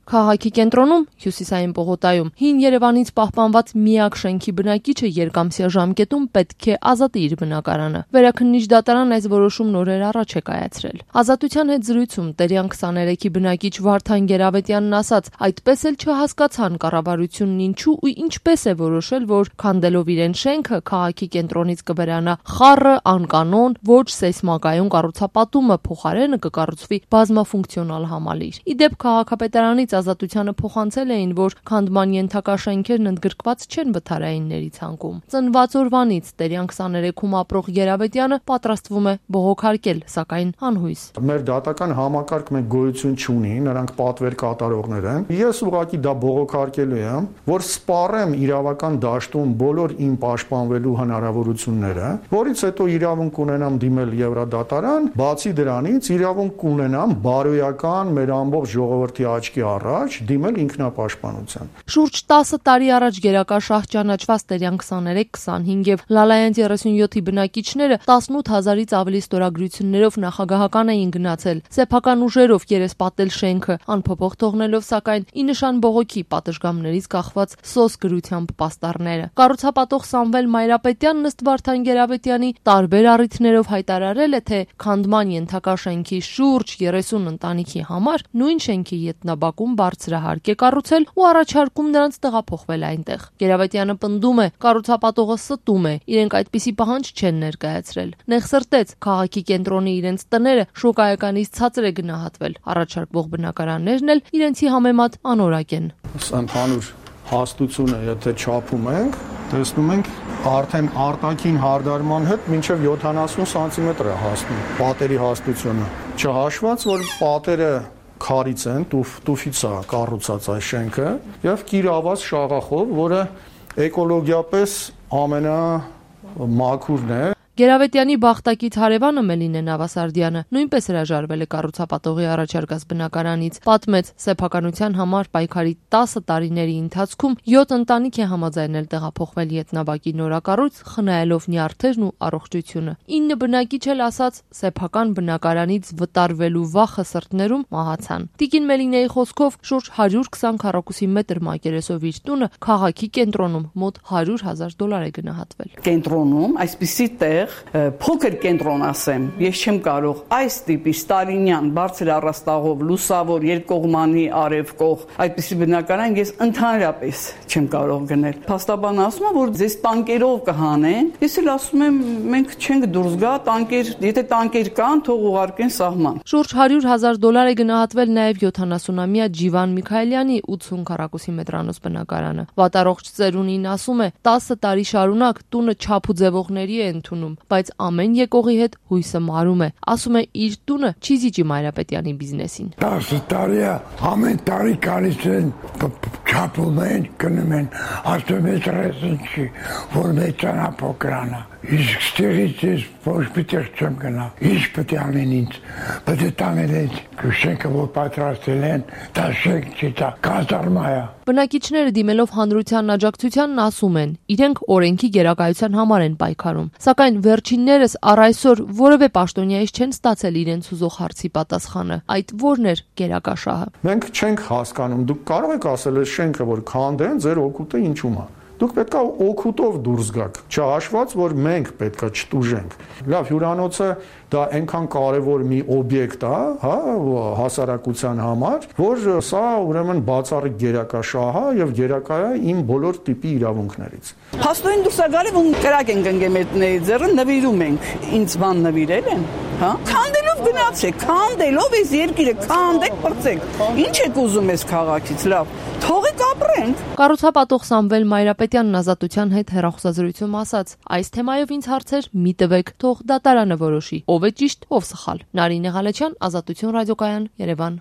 Քաղաքի կենտրոնում, Հյուսիսային պողոտայում, հին Երևանից պահպանված միակ շենքի բնակիչը երկամսյա ժամկետում պետք է ազատի իր բնակարանը։ Վերաքննիչ դատարան այս որոշումն օրեր առաջ է կայացրել։ Ազատության հետ զրույցում Տերյան 23-ի բնակիչ Վարդան Գերավետյանն ասաց, այդպես էլ չհասկացան կառավարությունն ինչու ու ինչպես է որոշել, որ քանդելով իրեն շենքը քաղաքի կենտրոնից կվերանա խառը, անկանոն, ոչ սեյսմակայուն կառուցապատումը, փոխարենը կկառուցվի բազմաֆունկցիոնալ համալիր։ Իդեպ քաղաքապետարանից Ազատությանը փոխանցել էին, որ քանդման ենթակա շենքերն ընդգրկված չեն վթարայինների ցանկում։ Ծնված օրվանից Տերյան 23-ում ապրող Գերավետյանը պատրաստվում է բողոքարկել, սակայն անհույս։ Մեր դատական համակարգ մենք գոյություն չունի, նրանք պատվեր կատարողներ են։ Ես ուղղակի դա բողոքարկելու եմ, որ սպառեմ իրավական դաշտում բոլոր իմ պաշտպանվելու հնարավորությունները, որից հետո իրավունք ունենամ դիմել Եվրոդատարան, բացի դրանից իրավունք կունենամ բարոյական մեր ամբողջ ժողովրդի աչքի առաջ դիմել ինքնապաշտպանության։ Շուրջ 10 տարի առաջ գերակա շահ ճանաչված Տերյան 23, 25 եւ Լալայան 37-ի բնակիչները 18000-ից ավելի ստորագրություններով նախագահական էին գնացել, սեփական ուժերով երեսպատել շենքը, անփոփոխ թողնելով սակայն ի նշան բողոքի պատշգամբներից կախված սոս գրությամբ պաստառները։ Կառուցապատող Սամվել Մայրապետյանն ըստ Վարդան Գերավետյանի տարբեր առիթներով հայտարարել է, թե քանդման ենթակա շենքի շուրջ 30 ընտանիքի համար նույն շենքի ետնաբակում բարձրահարկ է կառուցել ու առաջարկում նրանց տեղափոխվել այնտեղ։ Գերավետյանը պնդում է, կառուցապատողը ստում է, իրենք այդպիսի պահանջ չեն ներկայացրել։ Նեղսրտեց, քաղաքի կենտրոնի իրենց տները շոկայականից ցածր է գնահատվել։ Առաջարկվող բնակարաններն էլ իրենցի համեմատ անորակ են։ Ընդհանուր հաստությունը, եթե չափում ենք, տեսնում ենք արդեն արտաքին հարդարման հետ մինչև 70 սանտիմետր է հասնում պատերի հաստությունը։ Չհաշված, որ պատերը քարից են, տուֆից է կառուցած այս շենքը եւ կիրաված շաղախով, որը էկոլոգիապես ամենամաքուրն է։ Գերավետյանի բախտակից հարևանը Մելինե Նավասարդյանը նույնպես հրաժարվել է կառուցապատողի առաջարկած բնակարանից, պատմեց սեփականության համար պայքարի 10 տարիների ընթացքում 7 ընտանիք է համաձայնել տեղափոխվել ետնաբակի նորակառույց, խնայելով նյարդերն ու առողջությունը։ 9 բնակիչ էլ ասաց սեփական բնակարանից վտարվելու վախը սրտներում մահացան։ Տիկին Մելինեի խոսքով շուրջ 120 քառակուսի մետր մակերեսով իր տունը քաղաքի կենտրոնում մոտ $100,000 է գնահատվել։ Կենտրոնում այսպիսի տեղ փոքր կենտրոն ասեմ, ես չեմ կարող այս տիպի ստալինյան բարձր առաստաղով լուսավոր երկկողմանի արևկող այդպիսի բնակարան ես ընդհանրապես չեմ կարող գնել։ Փաստաբանը ասում է, որ ձեզ տանկերով կհանեն։ Ես էլ ասում եմ, մենք չենք դուրս գա, տանկեր, եթե տանկեր կան, թող ուղարկեն սահման։ Շուրջ $100,000 է գնահատվել նաև 70-ամյա Ջիվան Միքայելյանի 80 քառակուսի մետրանոց բնակարանը։ Վատառողջ ծերունին ասում է, 10 տարի շարունակ տունը չափ ու ձևողների է ընդունում, բայց ամեն եկողի հետ հույսը մարում է։ Ասում է իր տունը չի զիջի Մայրապետյանի բիզնեսին։ 10 տարի է, ամեն տարի գալիս են, չափում են, գնում են, ասում են ռեսն չի, որ մեծանա փոքրանա։ Իսկ ստեղից ես ոչ պիտեղ չեմ գնա, ինչ պետք է անեն ինձ, պետք է տանել են, շենքը որ պատրաստել են, դա շենք չի, դա կազարմա է։ Բնակիչները դիմելով հանրության աջակցությանն ասում են, իրենք օրենքի գերակայության համար են պայքարում, սակայն վերջիններս առ այսօր որևէ պաշտոնյայից չեն ստացել իրենց ուզող հարցի պատասխանը, այդ որն էր գերակա շահը։ Մենք չենք հասկանում, դուք կարող եք ասել այս շենքը, որ քանդեն, ձեր օգուտը ինչու՞մ է։ Դուք պետքա օգուտով դուրս գաք, չհաշված, որ մենք պետքա չտուժենք։ Լավ, հյուրանոցը դա այնքան կարևոր մի օբյեկտ է, հա, հասարակության համար, որ սա ուրեմն բացառիկ գերակա շահ է եւ գերակա է իմ բոլոր տիպի իրավունքներից։ Փաստորեն դուրս է գալի, որ կրակ են գնգեմ այդների ձեռը, նվիրում ենք։ Ինձ բան նվիրել են, հա։ Քանդելով գնացեք, քանդելով այս երկիրը, քանդեք, բրծեք։ Ինչ եք ուզում այս քաղաքից, լավ։ Թողեք ապրենք։ Կառուցապատող Սամվել Մայրապետյանն Ազատության հետ հեռախոսազրույցում ասաց. այս թեմայով ինձ հարցեր մի տվեք, թող դատարանը որոշի, ով է ճիշտ, ով սխալ։ Նարինե Ղալեչյան, Ազատություն ռադիոկայան, Երևան։